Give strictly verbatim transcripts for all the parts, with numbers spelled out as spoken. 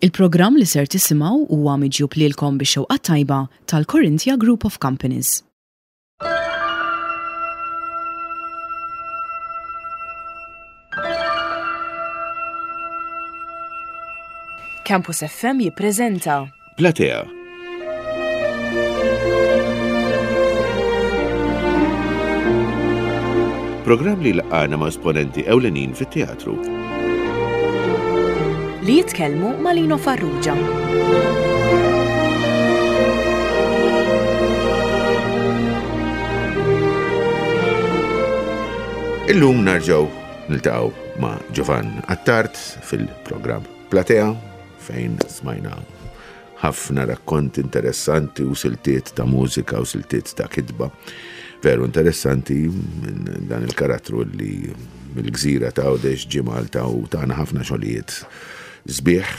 Il-programm li ser tisimgħu huwa miġjub lilkom bix-xewqa tajba tal-Corinthia Group of Companies. Campus F M jippreżenta Platea. Programm li laqana ma' esponenti ewlenin fit-teatru. Li jitkellmu ma' Lino Farrugia. Illum narġgħu niltaqgħu ma' Giovann Attard fil-programm Platea, fejn smajna ħafna rakkonti interessanti u siltiet ta' mużika u siltiet ta' kitba. Veru interessanti minn dan il-karattru li mill-gżira ta' Għawdex ġie Malta u tana ħafna xogħlijiet sbieħ.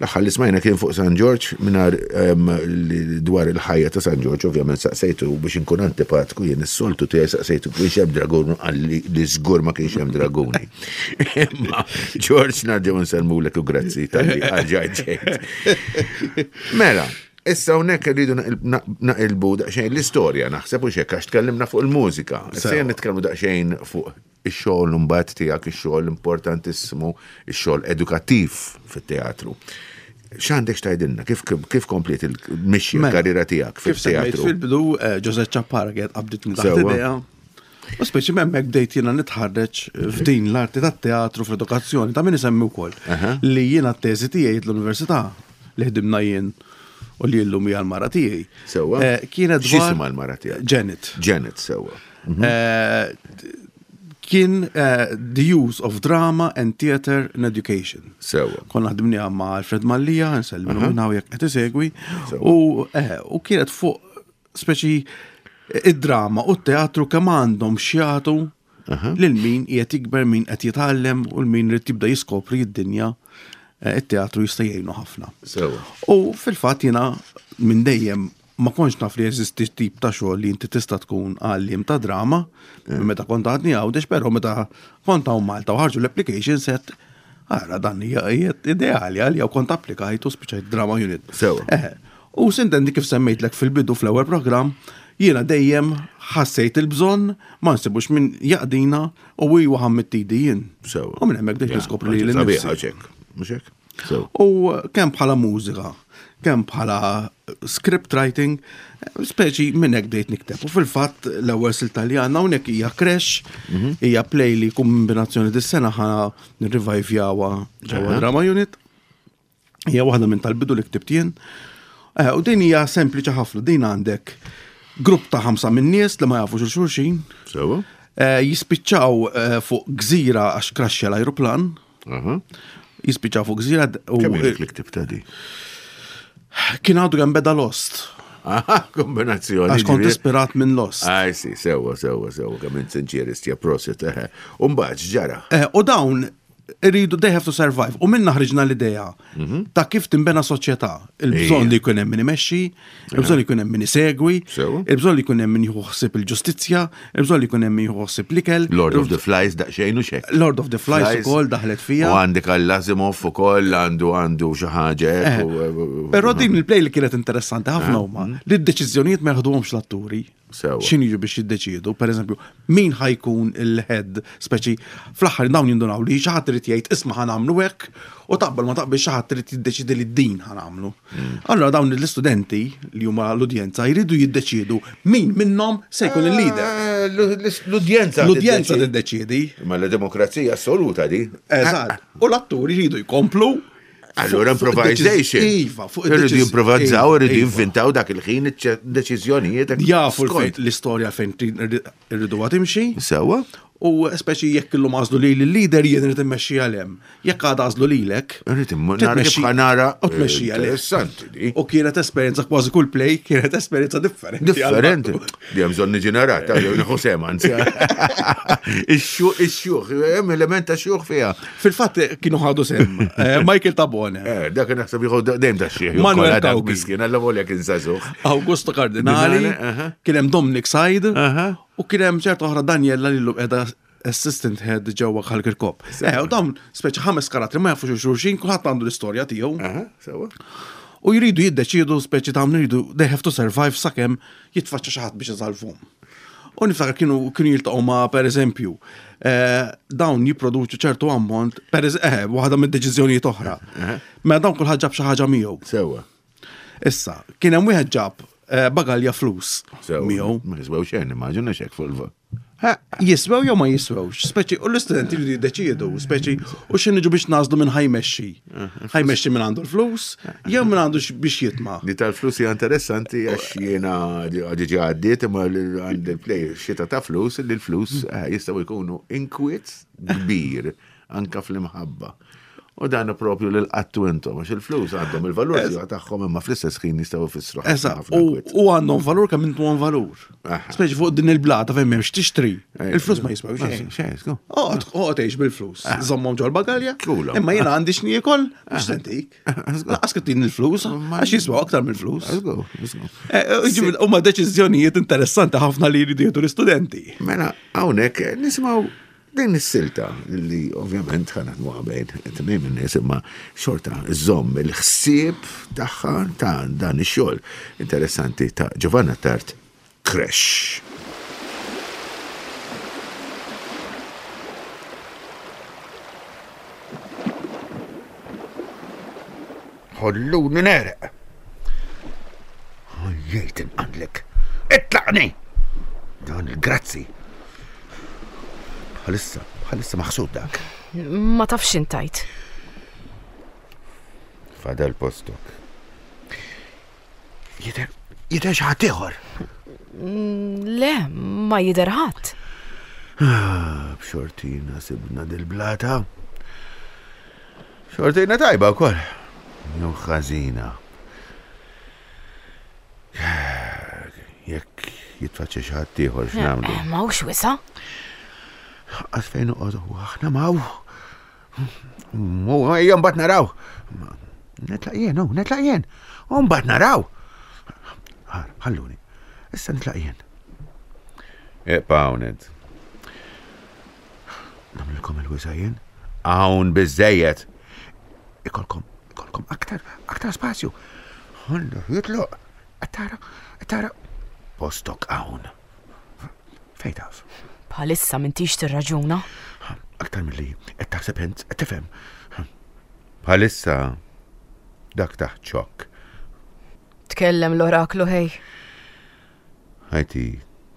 L-aħħar li smajna kien fuq San Ġorġ, mingħajr dwar il-ħajja ta' San Ġorġ, ovvjament saqsejtu biex inkun antipatku jien is-soltu tiegħi, saqsejtu kienx hemm dragun, qalli li żgur ma kienx hemm draguni. Imma Ġorġ, nerġgħu nsellmulek u grazzi talli erġajt ġejt. Mela, issa hawnhekk irridu naqilbu daqsxejn l-istorja, naħseb u xekk, għax tkellimna fuq il-mużika. Issa nitkellmu daqsxejn fuq ix-xogħol mbagħad tiegħek, ix-xogħol importantissimu, ix-xogħol edukattiv fit-teatru. X'għandek x'tgħidilna? Kif, kif kompliet il-mixja Mela, l-karriera tiegħek kif semmejt fit-teatru? fil-bidu, eh, Jose Ciappara kienet qabditni taħt Sewwa. idea. U speċi hemmhekk bdejt jiena nitħarreġ f'din l-arti tat-teatru fl-edukazzjoni, ta' min isemmi wkoll Aha. li jiena t-teżi tiegħi l-università li ħdimna jien u li llum hija l-mara tiegħi. Sewwa. Eh, Kienet dwar X'jisimha l-mara tiegħek? Janet. Janet, sewwa. Eh, Kien eh, The Use of Drama and Theater in Education. Sewwa. Konna ħdimniha ma' Alfred Mallia, nsellimu minn hawn jekk qed isegwi. Sewwa. U eh, u kienet fuq speċi id-drama u t-teatru kemm għandhom x'jagħtu lil min qiegħed jikber, min qed jitgħallem u l min irid jibda jiskopri d-dinja, eh, it-teatru jista' jgħinu ħafna. Sewwa. U fil-fatt jiena minn dejjem ma kontx naf li jeżisti tip ta' xogħol li inti tista' tkun għalliem ta' drama minn meta kont għadni Għawdex, però meta kont hawn Malta u ħarġu l-application set, ara dan hija hija ideali għalija, u kont applikajt u spiċċajt drama unit. Sewwa. Eh, u sintendi kif semmejtlek fil-bidu fl-ewwel programm, jiena dejjem ħassejt il-bżonn, ma nsibux min jaqdina u huwa ħammittidi jien. Sewwa. U minn hemmhekk bdejt niskopri li Sabiħa nnifsi. ċek. Mhux hekk? Sewwa. U kemm bħala mużika, kemm bħala script writing, speċi minn hekk bdejt nikteb. U fil-fatt l-ewwel silta li għandna hawnhekk hija Crash, hija play li kombinazzjoni dis-sena ħa nirrevivjawha ġewwa Drama Unit. Hija waħda minn tal-bidu li ktibt jien. Eh, U din hija sempliċi ħafna, din għandek grupp ta' ħamsa minn nies li ma jafux il-xulxin, Sewwa. eh, jispiċċaw eh, fuq gżira għax kraxxja l-ajruplan, Aha. jispiċċaw fuq gżira u Kemm ilek li ktibta di? Kien għadu kemm beda Lost. Aha, kombinazzjoni. Għax kont ġifieri. ispirat minn Lost. Aj, si, sewwa, sewwa, sewwa, kemm int sinċier istja, prosit, eħe. U mbagħad x'ġara? Eh, U dawn iridu, they have to survive. U minna ħriġna l-idea ta' kif timbena soċjetà. Il-bżonn Ija. li jkun hemm min imexxi, il-bżonn li jkun hemm min isegwi, Sewwa. il-bżonn li jkun hemm min jieħu ħsieb il-ġustizzja, il-bżonn li jkun hemm min jieħu ħsieb l-ikel. Lord of the Flies daqsxejn u xek. Lord of the Flies ukoll daħlet fija. U għandek għall-Asimov ukoll għandu għandu xi ħaġa hekk u- Però din il-play li kienet interessanti ħafna huma li d-deċiżjonijiet ma jaħduhomx l-atturi. Sewwa. X'inhu jiġu biex jiddeċiedu, per eżempju, min ħa jkun il-head, speċi fl-aħħar dawn jindunaw li xi ħadd irid jgħid, "Isma', ħa nagħmlu hekk," u taqbel ma taqbel xi ħadd irid jiddeċiedi li din ħa nagħmlu. Allora dawn l-istudenti li huma l-udjenza jridu jiddeċiedu min minnhom se jkun il-leader. Eh, L-udjenza. L-udjenza tiddeċiedi. tiddeċiedi. Ma la demokrazija assoluta di. Eżatt. U l-atturi jridu jkomplu. Allura fuq- fuq improvisation. id-deċiż- Iva, fuq Irridu id-deċiż- jimprovizzaw, Iva, irridu iva. jinventaw dak il-ħin deċiżjonijiet. Jafu skont. l-istorja fejn irridu timxi. Sewwa? U speċi jekk illum għażlu li l-leader jien irid immexxi għalhem. Jekk għada għażlu lilek, Irrid imma nara kif titmexxi- ħa nara. U tmexxi għalih. Interessanti di. U kienet esperjenza, kważi kull play kienet esperjenza differenti. Differenti. Di hemm bżonn niġi narat, jew nieħu sem anzi. Ix-xjuħ, ix-xjuħ, hemm element ta' xjuħ fiha. Fil-fatt kienu ħadu sem eh, Michael Tabone, Eh, dak naħseb jieħu dejjem ta' xieħ. Manuel Cauchi. Miskin, alla volja kien żagħżugħ. Augusto Cardinali, Cardinali, aha. kien hemm Dominic Said Aha. u kien hemm ċerta oħra Daniela li llum qiegħda assistant head ġewwa Ħal Kirkop. Eh, u dawn speċi ħames karattri ma jafux xulxin, kulħadd għandu l-istorja tiegħu. Aha, sewwa. U jridu jiddeċiedu speċi ta' jridu they have to survive sakemm jitfaċċa xi ħadd biex isalvhom. U niftakar kienu kienu jiltaqgħu ma' per eżempju, eh, dawn jipproduċu ċertu ammont, per eż- eh, waħda mid-deċiżjonijiet oħra. Mela dawn kulħadd ġab xi ħaġa miegħu. Sewwa. Issa, kien hemm wieħed ġab eh, bagalja flus Sewwa. miegħu. Ma jiswew xejn, immaġina xek fuq il Jiswew jew ma jiswewx, speċi u l-istudenti jridu jiddeċiedu, speċi u xi niġu biex nażlu minn ħa jmexxi. Ħa jmexxi minn għandu l-flus, jew minn għandu x- biex jitma'. Di tal-flus hija interessanti għax jiena diġà għaddiet imma għand il-play xita ta' flus li l-flus eh, jistgħu jkunu inkwiet kbir anka fl-imħabba. U dan propju lil qattu intom għax il-flus għandhom il-valur tiegħu tagħhom imma fl-istess ħin jistgħu jfissru ħafna Esa, ħafna u inkwiet. u għandhom valur kemm intu għan valur. Aha. Speċi fuq din il-blata fejn m'hemmx tixtri. Eh, Il-flus ma jiswew xejn. Xejn, sku. Oqgħod oqgħod għix bil-flus. Żommhom ġol bagalja. Kulhom. Imma jiena għandi x'niekol biex sentik. Lanqas kittin il-flus, għax jiswew aktar mill-flus. Let's go, let's go. Eh, Jiġifieri, Huma deċiżjonijiet interessanti ħafna li jridu jieħdu l-istudenti. Mela, hawnhekk nisimgħu din is-silta li ovvjament ħa naħdmuha bejn tnejn min-nies imma xorta żomm il-ħsieb tagħha ta' dan ix-xogħol interessanti ta' Giovanna Tart Crash. Ħolluni nereq. Jgħid inqandlek. Itlaqni! Dan il-grazzi. Bħalissa, bħalissa maħsud dak. Ma tafx intajt. Fadal postok. Jidher, jidher xi ħadd ieħor. Le, ma jidher ħadd. Ah, B'xortina sibna dil-blata. Xortina tajba wkoll. Jew ħażina. Jekk jitfaċċa xi ħadd ieħor x'nagħmlu. Eh, Ma hux wisa. Għas fejn noqogħdu aħna maw. Mu ejja mbagħad naraw. Nitlaq jien, hu, nitlaq jien. U mbagħad naraw. Ħar, ħalluni. Issa nitlaq jien. Ibqa' hawn int. Nagħmlilkom il-wisa jien. Hawn biżejjed. Ikolkom, ikolkom aktar, aktar spazju. Ħallu jitloq. Qed tara, qed tara. Postok hawn. Fejn taf? Bħalissa m'intix tirraġuna. Aktar mill-li qed taħseb int, qed tifhem. Bħalissa dak taħt xokk. Tkellem l-oraklu ħej. Ħajti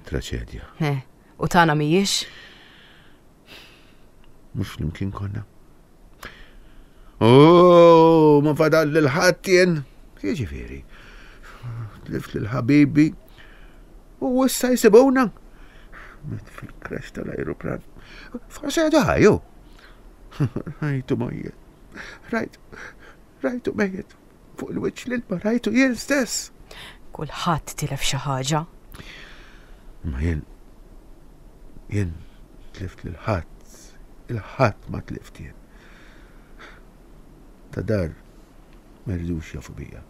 traċedja. Eh, U tagħna mhijiex? Mhux flimkien konna. Oh, ma fadal lil ħadd jien. Jiġifieri. Tlift lil ħabibi. U issa jsibuna. Miet fil-crash tal-ajruplan. Forse għadu ħajju. Rajtu mejjet. Rajtu, rajtu mejjet. Fuq il-wiċċ l-ilma rajtu jien stess. Kulħadd tilef xi ħaġa. Ma jien, jien tlift lil ħadd, il-ħadd ma tlift jien. Ta' dar ma jridux jafu bija.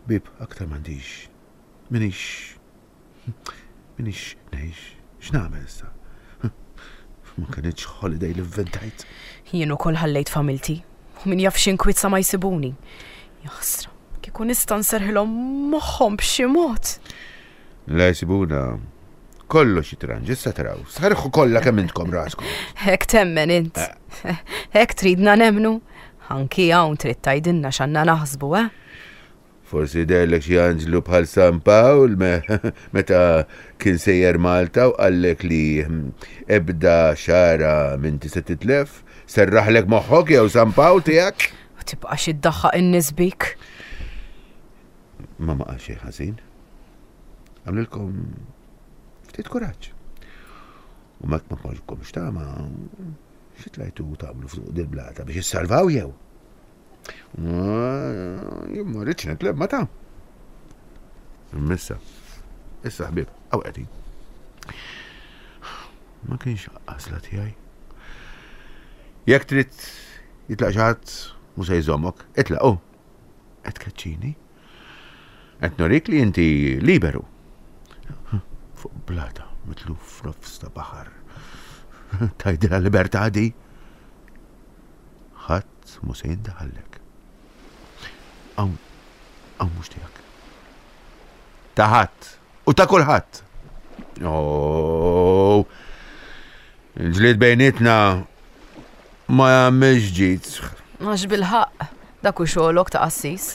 Bib, aktar m'għandix. Minix, minix ngħix, x'nagħmel issa? Ma kinitx holiday li vventajt. Jien ukoll ħallejt familti. U min jaf x'inkwiet ma jsibuni. Jaħsra, kieku nista' nserħilhom moħħhom b'xi mod. La jsibuna kollox jitranġ, issa taraw. Serrħu kollha kemm intkom raskom. Hekk temmen int. Hekk tridna nemnu. Anki hawn trid tgħidilna x'għandna naħsbu, eh? Forsi deherlek xi anġlu bħal San Pawl me, meta kien sejjer Malta u qallek li hm, ebda xara minn se titlef, serraħlek moħħok jew San Pawl tiegħek. U tibqax iddaħħaq in-nies bik. Ma ma qal xejn ħażin. Għamlilkom ftit kuraġġ. U mek ma kollkomx tama, xi tlajtu tagħmlu fuq dil-blata biex issalvaw jew? Jien ma rridx nitlef ma ta'. Missa, issa ħbieb, hawn qegħdin. Ma kienx għażla tiegħi. Jekk trid jitlaq xi ħadd mhux se jżommok, itlaq hu. Qed tkeċċini. Qed norik li inti liberu. Fuq blata, mitluf f'nofs ta' baħar. Tgħidilha libertà di. Ħadd mhu se jindaħallek. Hawn, hawn mhux tiegħek. Ta' ħadd u ta' kulħadd. Oh, il-ġlied bejnietna ma jagħmilx ġid. Għax bil-ħaqq, dak hu xogħolok ta' qassis.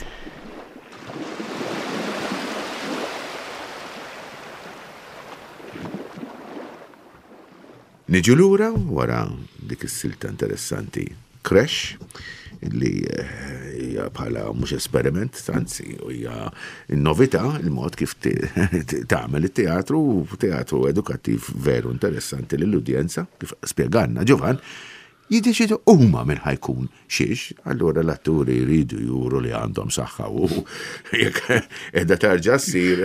Niġu lura wara dik is-silta interessanti Crash, li hija bħala mhux esperiment, anzi hija novità il-mod kif tagħmel it-teatru, teatru edukattiv veru interessanti lill-udjenza, kif spjegalna Ġovan, jiddeċidu huma minn ħajkun xiex, allura l-atturi jridu juru li għandhom saħħa u jekk qiegħda tarġa' ssir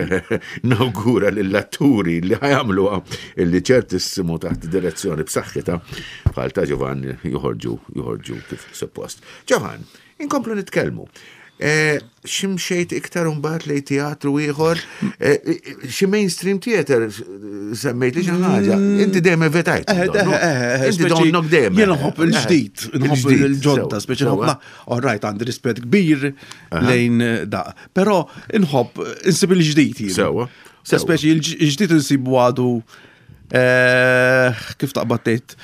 nawgura lill-atturi li ħajamluha illi ċertissimu taħt direzzjoni b'saħħitha bħal ta' Ġovan joħorġu, joħorġu kif suppost. Ġovan, inkomplu nitkellmu. X'imxejt iktar imbagħad lejn teatru ieħor, xi mainstream theater semmejt li xi ħaġa. Inti dejjem evitajt. Inti donnok dejjem. Jien nħobb il-ġdid, nħobb il-ġodda, speċi nħobb. All right, għandi rispett kbir lejn da. Però nħobb insib il-ġdid jien. Sewwa. Speċi il-ġdid insibu għadu kif taqbad tgħid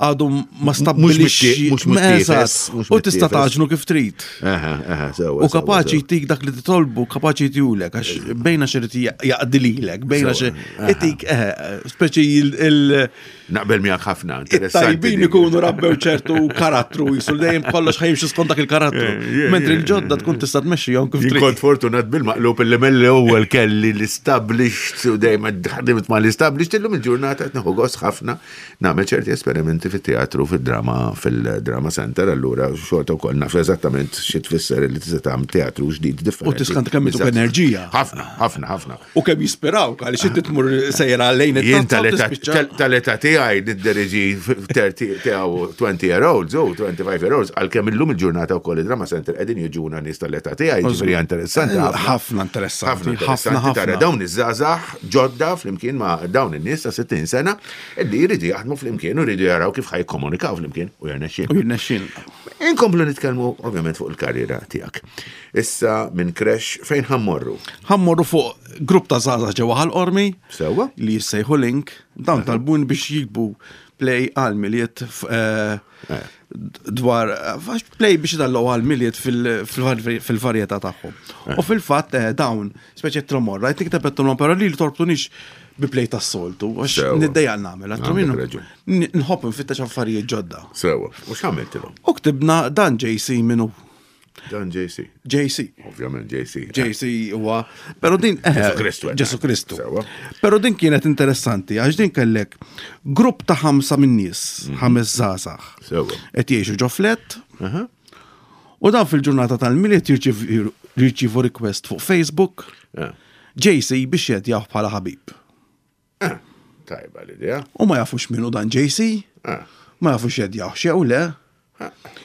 għadu ma stabbilixxi mhux mittiefes, u tista' taġnu kif trid. Aha, aha, U kapaċi jtik dak li titolbu, kapaċi jtihulek, għax bejna xi jaqdi lilek, bejna xi itik, speċi il- Naqbel miegħek ħafna, interessanti. Tajbin ikunu rabbew ċertu karattru, jisu dejjem kollox ħajimxi skont dak il-karattru. Mentri l-ġodda tkun tista' tmexxihom kif trid. Kont fortunat bil-maqlub illi mill-ewwel kelli l-established u dejjem ħdimt ma l-established illum il-ġurnata qed nieħu gost ħafna nagħmel ċerti esperimenti fit-teatru, fid-drama, fil-drama center, allura xorta wkoll naf eżattament xi tfisser li tista' tagħmel teatru ġdid differenti. U tiskanta kemm ituk enerġija. Ħafna, ħafna, ħafna. U kemm jispirawk għaliex inti tmur sejra lejn Jien tal-età tiegħi nidderieġi thirty tiegħu twenty year olds u twenty-five year olds, għalkemm illum il-ġurnata wkoll id-drama center qegħdin jiġuna nies tal-età tiegħi, ġifieri interessanti ħafna. Ħafna interessanti, Ħafna interessanti tara dawn iż-żgħażagħ ġodda flimkien ma' dawn in-nies ta' sittin sena illi jridu jaħdmu flimkien u jridu jaraw kif ħajkomunikaw flimkien u jirnexxin. U jirnexxin. Inkomplu nitkellmu ovvjament fuq il-karriera tiegħek. Issa minn Crash fejn ħammorru? Ħammorru fuq grupp ta' żgħażagħ ġewwa Ħal Qormi. Sewwa. Li jissejħu Link, dawn talbun biex jikbu play għal Milied dwar play biex idallu għal Milied fil-varjetà tagħhom. U fil-fatt dawn, speċi tromorra, qed nikteb qed però li torbtunix bi play tas-soltu, għax niddejjaq nagħmel, nħobb nfittex affarijiet ġodda. Sewwa, u x'għamiltilhom? U ktibna dan J C minnu. Dan J C. J C. Ovvjament J C. J C huwa, però din, eh, Ġesu Kristu, eh. Ġesu Kristu. Sewwa. Però din kienet interessanti għax din kellek grupp ta' ħamsa minn nies, Mhm. ħames żgħażagħ. Sewwa. Qed jgħixu ġo flet. Aha. U dan fil-ġurnata tal-Milied jirċiv-, jirċivu request fuq Facebook. Eh. J C biex jedjaw bħala ħabib. Eh, tajba l-idea. U ma jafux minnu dan J C. Eh. Ma jafux jedjaw xew le.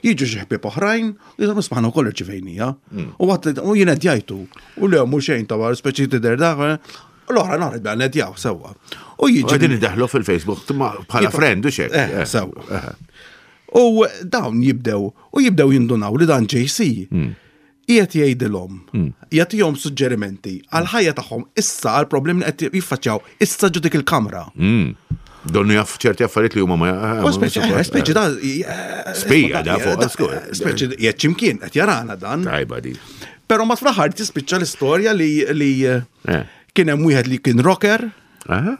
Jiġu xi ħbieb oħrajn, u jgħidu isma' wkoll irċivejnija. Mm. U għat u jien qed jgħidu, u le mhux xejn ta' speċi tidher dak, u l-oħra nhar bda nedjaw sewwa. U jiġi Qegħdin idaħlu fil-Facebook bħala Jibqa' friend u xek. Eh, Eh, sewwa. eh. U dawn jibdew, u jibdew jindunaw li dan J C Mm. qiegħed jgħidilhom, Mm. jagħtihom suġġerimenti għal ħajja tagħhom issa għal problemi li qed jiffaċċjaw issa ġo dik il-kamra. Mm. Donnu jaf ċerti affarijiet li huma ma ja- U speċi, ma- eh, speċi da, eh, Spija da fuq, da, skur. speċi qiegħed x'imkien qed jarana dan. Tajba di. Però ma fl-aħħar tispiċċa l-istorja li, li, Eh. kien hemm wieħed li kien rocker. Aha.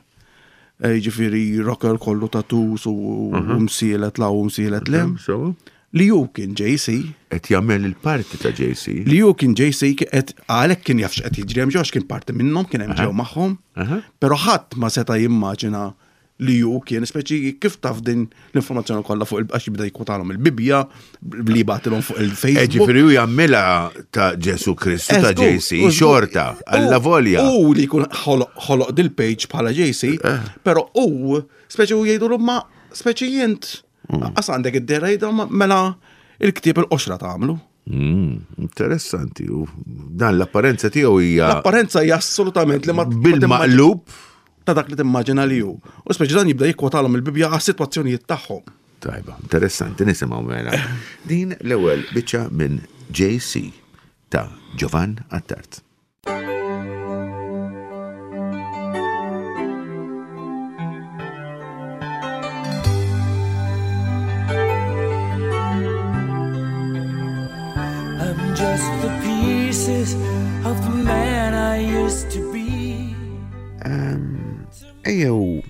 Eh, jiġifieri rocker kollu tattoos u Mhm. msielet la u msielet le. Mhm, so. Li hu kien J C. Qed jagħmel il-parti ta' J C. Li hu kien J C qed għalhekk kien jaf x'qed jiġri hemm ġew għax kien parti minnhom, kien hemm Aha. ġew magħhom. Aha. Però ħadd ma seta' jimmaġina li hu kien, speċi kif taf din l-informazzjoni kollha fuq il-, għax jibda jkwotalhom il-Bibbja, li jibgħatilhom fuq il-Facebook. Eh, ġifieri hu jagħmilha ta' Ġesu Kristu ta' Eżgur, J C, eżgur. xorta, alla U- volja. U li jkun ħoloq, ħoloq dil-page bħala J C, Eh. però hu, speċi hu jgħidulu ma speċi jint, Mm. qas għandek id-dera jgħidu ma mela il-ktieb il-qoxra tagħmlu. Mm, interessanti, u dan l-apparenza tiegħu hija L-apparenza hija assolutament li ma bil-maqlub ta' dak li timmaġina li hu. U speċi dan jibda jikkwotalhom il-Bibbja għas-sitwazzjonijiet tagħhom. Tajba, interessanti nisimgħu mela. Din l-ewwel biċċa minn J C ta' Giovann Attard. I'm just the pieces of the man I used to be. Ejjew,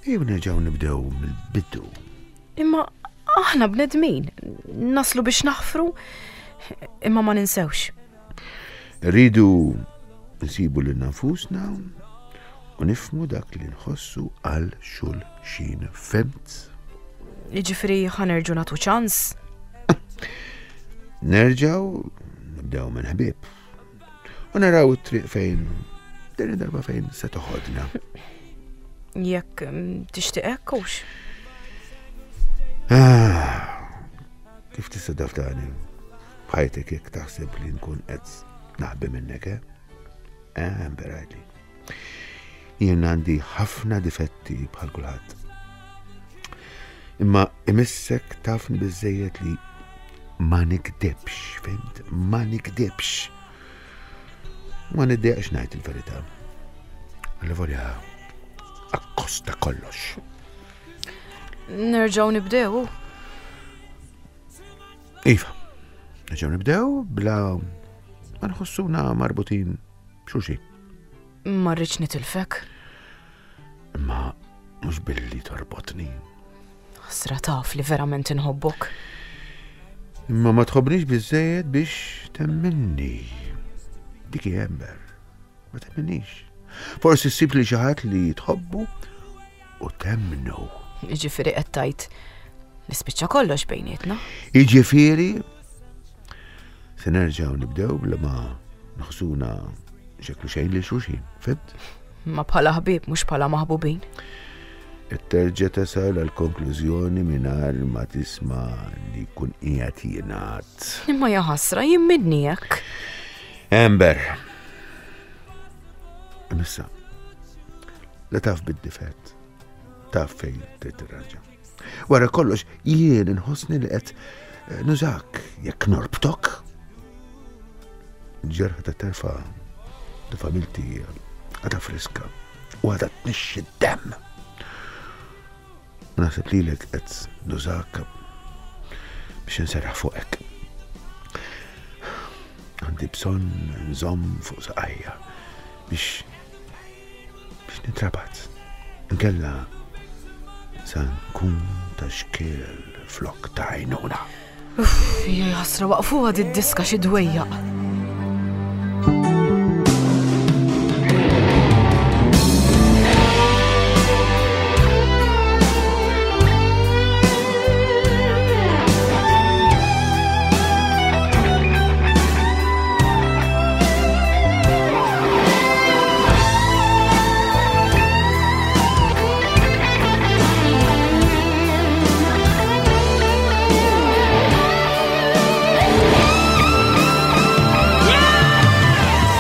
ejjew nerġgħu nibdew mill-bidu. Imma aħna bnedmin, naslu biex naħfru, imma ma ninsewx. Rridu nsibu lil nfusna u nifhmu dak li nħossu għal xulxin, fhimt? Jiġifieri ħa nerġgħu nagħtu ċans. Nerġgħu nibdew minn ħbieb. U naraw it-triq fejn din id-darba fejn se toħodna. Jekk mm, tixtieq hekk hux. Ah, kif tista' tafdani? B'ħajtek jekk taħseb li nkun qed naħbi minnek, eh? Eh, Amber, jien għandi ħafna difetti bħal kulħadd. Imma imissek tafni biżejjed li ma nikdibx, fhimt? Ma nikdibx. Ma niddejjaqx ngħid il-verità. Allavolja akkost ta' kollox. Nerġgħu nibdew. Iva, nerġgħu nibdew bla ma nħossuna marbutin b'xulxin. Ma rridx nitilfek. Imma mhux billi torbotni. Ħasra taf li verament inħobbok. Imma ma tħobbnix biżejjed biex temminni. Dik hi, Amber. Ma temminnix. Forsi ssib li xi ħadd li tħobbu u temmnu. Jiġifieri qed tgħid li spiċċa kollox bejnietna. Jiġifieri se nerġgħu nibdew bla ma nħossuna xeklu xejn lil xulxin, fhimt? Ma bħala ħbieb mhux bħala maħbubin. Qed terġa' tasal għal konklużjoni mingħajr ma tisma' li jkun qiegħed jingħad. Imma ja ħasra jien minni hekk. Amber. Imissa, la taf bid-difett, taf fejn trid tirranġa. Wara kollox, jien inħossni li qed eh, nużak jekk norbtok. Ġerħa ta' terfa ta' familti għadha friska u għadha tnixxi d-demm. Naħseb lilek qed nużak biex nserraħ fuqek. Għandi bżonn nżomm fuq saqajja biex biex nintrabat. Inkella sa nkun ta' xkiel flok ta' għajnuna. Uff, ja ħasra waqfuha di diska xi dwejjaq.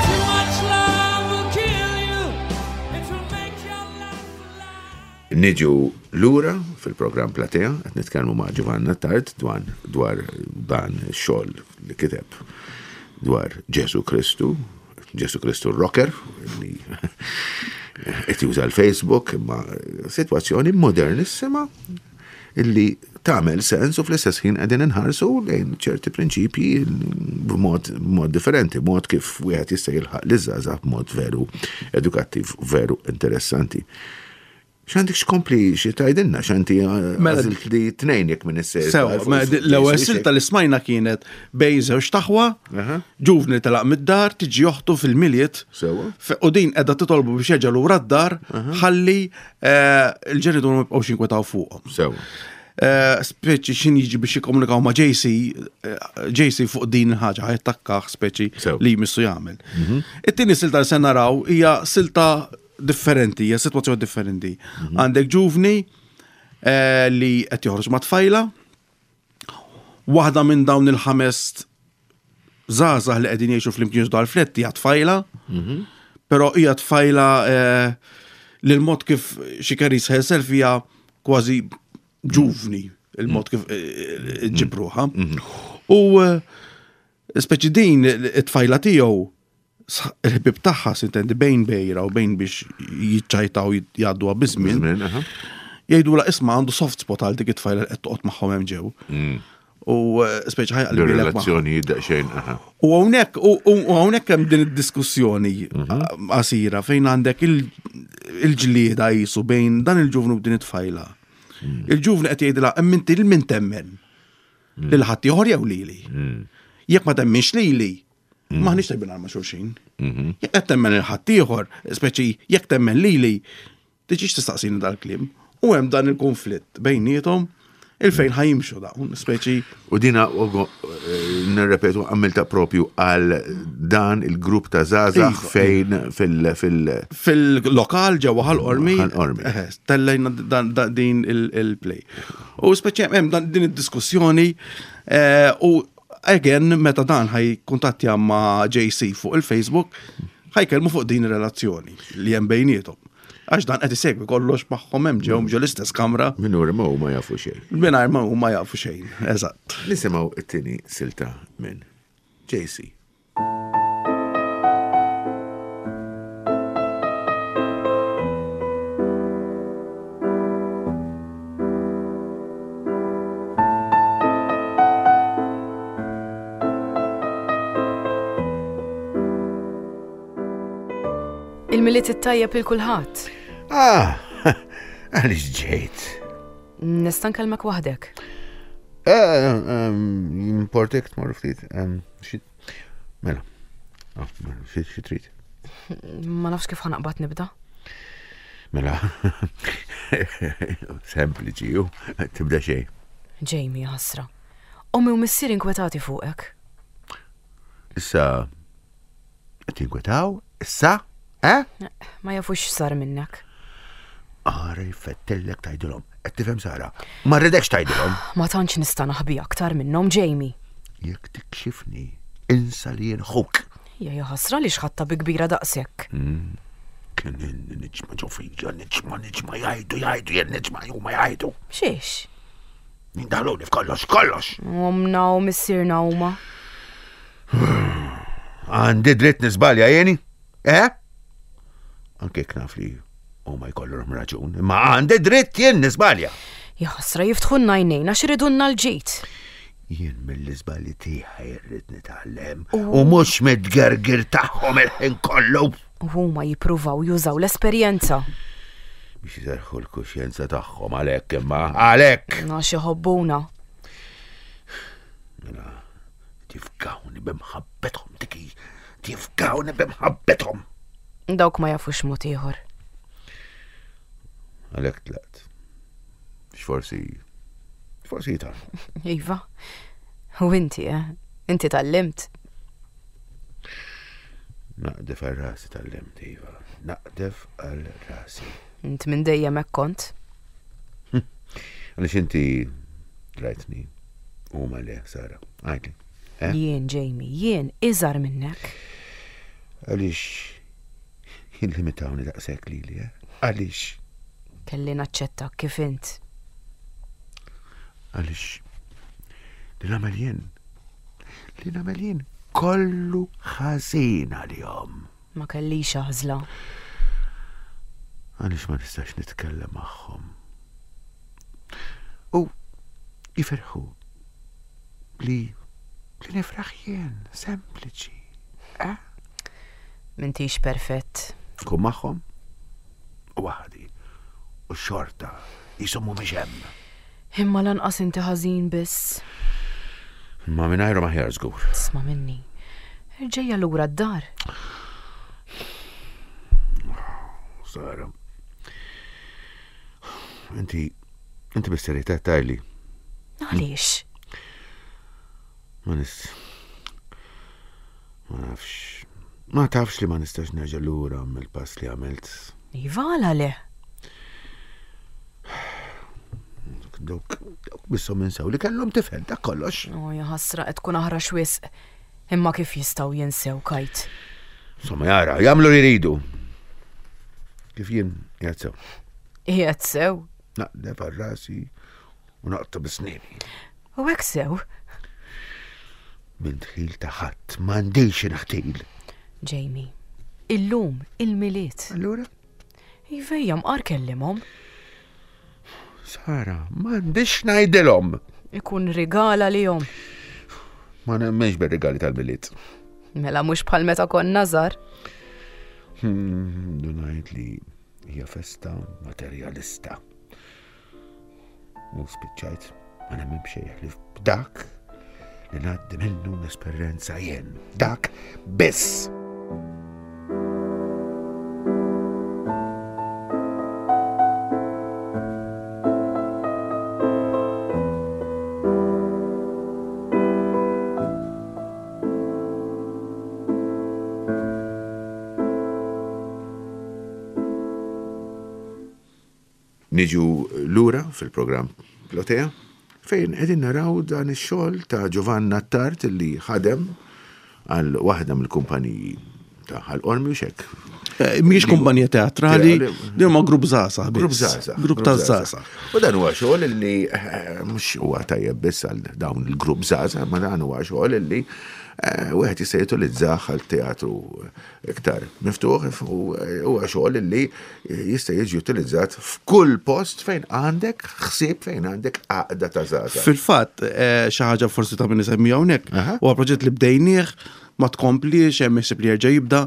Too much love will kill you. It will make your life a lie. Niġu lura fil-programm Platea, qed nitkellmu ma' Giovann Attard dwar dwar dan ix-xogħol li kiteb dwar Ġesu Kristu, Ġesu Kristu rocker, li qed juża l-Facebook, imma sitwazzjoni modernissima illi tagħmel sens u fl-istess ħin qegħdin inħarsu lejn ċerti prinċipji b'mod b'mod differenti, mod kif wieħed jista' jilħaq liż-żgħażagħ b'mod veru edukattiv, veru interessanti. X'għandek x'kompli xi tgħidilna, x'anti Mela- għażilt li tnejn jekk minn is-sejr. Sewa, ma di- l-ewwel silta li smajna kienet bejn żewġ aħwa, Aha. ġuvni telaq mid-dar, tiġi oħtu fil-Milied. Sewa. Fe- U din qiegħda titolbu biex jerġa' lura d-dar ħalli eh, il-ġenituri ma jibqgħux jinkwetaw fuqhom. Sewa. Eh, Speċi xin jiġi biex jikkomunikaw ma' J C, eh, J C fuq din il-ħaġa ħa jattakkah speċi Sew. li jmissu jagħmel. It-tieni silta li se naraw hija silta differenti, hija sitwazzjoni differenti. Għandek ġuvni eh, li qed joħroġ ma' tfajla, waħda minn dawn il-ħames żgħażagħ li qegħdin jgħixu flimkien dal-flat hija tfajla, Però hija tfajla eh, li l-mod kif she carries herself hija kważi ġuvni, il-mod kif eh, ġġib ruħha. U eh, speċi din it-tfajla tiegħu s- il-ħbib tagħha sintendi bejn bejra u bejn biex jiċċajtaw jgħadduha biż-żmien. Żmien, aha. Jgħidu la isma' għandu soft spot għal dik it-tfajla li qed toqgħod magħhom hemm ġew. U eh, speċi ħa jaqleb magħha. Relazzjoni daqsxejn, aha. U hawnhekk u u hawnhekk hemm din id-diskussjoni qasira fejn għandek il- il-ġlieda jisu bejn dan il-ġuvnu u din it-tfajla. Il-ġuvnu qed jgħidilha hemm inti lil min temmen. Lil ħadd ieħor jew lili. Jekk ma temminx lili, m'aħniex tajbin għal ma' xulxin. Jekk qed temmen il ħadd ieħor, speċi jekk temmen lili, tiġix tistaqsini dal-kliem. U hemm dan il-konflitt bejniethom il-fejn ħa jimxu dawn, speċi U dina, Ugo, eh, nirrepetu, għamilta propju għal dan il-grupp ta' żgħażagħ Iva. fejn fil- fil- fil-lokal ġewwa Ħal Qormi. Ħal Qormi. Eh, Tellejna dan- dan- din il- il-play. U speċi hemm dan- din id-diskussjoni eh, u again meta dan ħa jikkuntattja ma' J C fuq il-Facebook ħa jkellmu fuq din ir-relazzjoni li hemm bejniethom. Għax dan qed isegwi kollox magħhom hemm ġew ġo l-istess kamra Mingħajr ma huma jafu xejn. mingħajr ma huma jafu xejn. Eżatt. Nisimgħu it-tieni silta minn J C. Il-Milied it-tajjeb lil kulħadd. Ah, għaliex ġejt? Nista' nkellmek waħdek. Importek tmur ftit. em, xi- Mela. Ah, mela, xi xi trid? Ma nafx kif ħa naqbad nibda. Mela. Sempliċi, ju. Tibda xejn. Jamie, ħasra. Ommi u missier inkwetati fuqek. Issa, qed jinkwetaw? Issa? Eh? Ma jafux x'sar minnek. Ara jfettellek tgħidilhom. Qed tifhem, Sara? Ma rridekx tgħidilhom. Ma tantx nista' naħbi aktar minnhom, Jamie. Jekk tikxifni, insa li jien ħuk. Ja ja ħasra li xħatta bi kbira daqshekk. Kien niġma ġo fija, niġma, niġma jgħidu, jgħidu, jien niġma, huma jgħidu. Xiex? Jindaħluni f'kollox, kollox. Omna u missierna huma. Għandi dritt niżbalja jieni? Eh? Anke jekk naf li huma jkollhom raġun, imma għandi dritt jien niżbalja. Ja ħasra jiftħulna għajnejna x'ridunna l-ġid. Jien mill-iżbalji tiegħi rrid nitgħallem u mhux mid-gergir tagħhom il-ħin kollu. U huma jippruvaw jużaw l-esperjenza. Biex jiserħu l-kuxjenza tagħhom għalhekk imma għalhekk. Għax iħobbuna. Mela, tifgawni b'imħabbethom tiki, tifgawni b'imħabbethom. Dawk ma jafux mod ieħor. Għalhekk tlaqt. Forsi, forsi jitar. Iva. U inti, eh? Inti tgħallimt. Naqdef għal rasi tgħallimt, Iva. Naqdef għal rasi. Int minn dejjem hekk kont. Għaliex inti rajtni u ma le, Sara. Għidli. Eh? Jien, Jamie, jien iżgħar minnek. Għaliex jillimitawni daqshekk lili, eh? Għaliex? Kelli naċċetta kif int. Għaliex li nagħmel jien, li nagħmel jien kollu ħażin għalihom. Ma kellix għażla. Għaliex ma nistax nitkellem magħhom. U jifirħu li li nifraħ jien, sempliċi. Eh? M'intix perfett. Kun magħhom u waħdi u xorta jisumu mhumiex hemm. Imma lanqas inti ħażin biss. Ma mingħajru aħjar żgur. Isma' minni. Ġejja lura d-dar. Sara. Inti, inti bis-serjetà tgħidli. Għaliex? Ma nis. Ma nafx. Ma tafx li ma nistax nerġa' lura mill-pass li għamilt. Iva għala le. Dawk, dawk misshom jinsew li kellhom tifel dak kollox. O, ja ħasra qed tkun aħrax wisq. Imma kif jistgħu jinsew kajt? Insomma, jara, jagħmlu li jridu. Kif jien qiegħed sew. Qiegħed sew. Naqdef għal rasi u naqta bis-snieni. U hekk sew. Minn dħil ta' ħadd m'għandix inħtil. Jamie, illum il-Milied. Allura? Ivejja mqar kellimhom. Sara, m'għandix ngħidilhom. Ikun rigal għalihom. Ma nemmenx bir-rigali tal-Milied. Mela mhux bħal meta konna żgħar. Hmm, Dunajt li hija festa materjalista. U spiċċajt ma nemmen b'xejn li b'dak li ngħaddi minnu l-esperjenza jien. Dak biss. Niġu lura fil-programm Plotea fejn qegħdin naraw dan ix-xogħol ta' Giovanna Attard li ħadem għal waħda mill-kumpaniji ta' Ħal Qormi u xek. Eh, Mhijiex kumpanija teatrali, Teatrali. din huma grupp żgħażagħ. biss. Grupp żgħażagħ. Grupp ta' żgħażagħ. U dan huwa xogħol li eh, mhux huwa tajjeb biss għal dawn il-grupp żgħażagħ, ma dan huwa xogħol li eh, wieħed jista' jutilizzah għal teatru iktar miftuħ u eh, huwa xogħol li jista' jiġi utilizzat f'kull post fejn għandek ħsieb fejn għandek għaqda ta' żgħażagħ. Fil-fatt, eh, xi ħaġa forsi ta' min isemmi hawnhekk, Aha. huwa proġett li bdejnieh, ma tkomplix, hemm ħsieb li jerġa' jibda.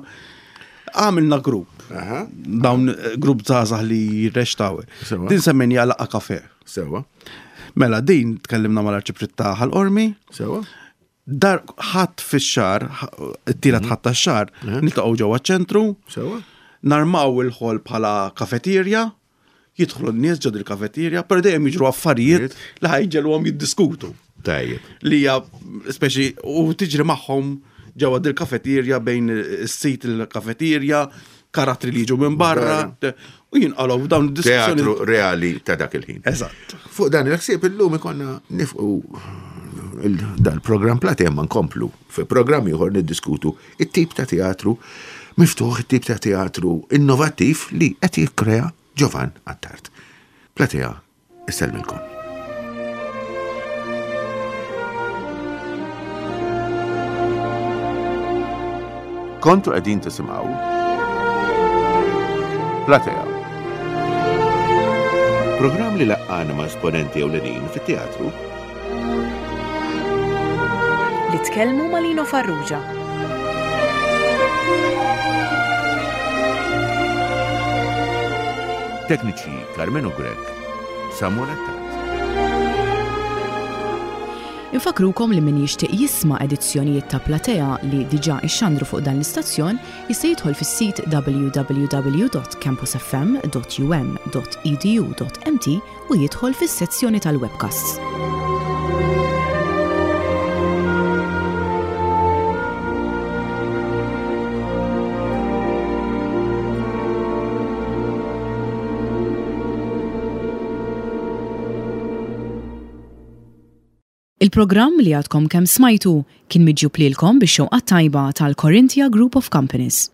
Għamilna grupp. Aha. Dawn eh, grupp żgħażagħ li jirrextaw. Sewa. Din semmejniha laqgħa kafe. Sewa, Mela din tkellimna mal-arċipriet ta' Ħal Qormi. sewa. Dar ħadd fix-xahar, it-tielet ħadd tax-xahar, niltaqgħu ġewwa ċ-ċentru. Sewa. Narmaw il-ħol bħala kafeterja, jidħlu n-nies ġod il-kafeterja, però dejjem jiġru affarijiet li ħajġelhom jiddiskutu. Tajjeb. Li hija speċi u tiġri magħhom ġewwa dil-kafeterja bejn is-sit il-kafeterja, karattri li jiġu minn barra, u jinqalgħu dawn id-diskussjoni. Teatru reali ta' dak il-ħin. Eżatt. Fuq dan il-ħsieb illum ikonna nifqu il- dal-programm Platea ma nkomplu. Fi programm ieħor niddiskutu it-tip ta' teatru miftuħ, it-tip ta' teatru innovattiv li qed jikkrea Giovan Attard. Platea, issellmilkom. Kontu qegħdin tisimgħu Platea. Programm li laqqana ma' esponenti ewlenin fit-teatru Li tkellmu ma' Lino Farrugia. Tekniċi Carmenu Grek, Samuel Attard. Infakrukom li min jixtieq jisma' edizzjonijiet ta' Platea li diġà ixxandru fuq dan l-istazzjon jista' jidħol fis-sit www.campusfm.um.edu.mt u jidħol fis-sezzjoni tal-webcasts. Il-programm li għadkom kemm smajtu kien miġjub lilkom bix-xewqa tajba tal-Corinthia Group of Companies.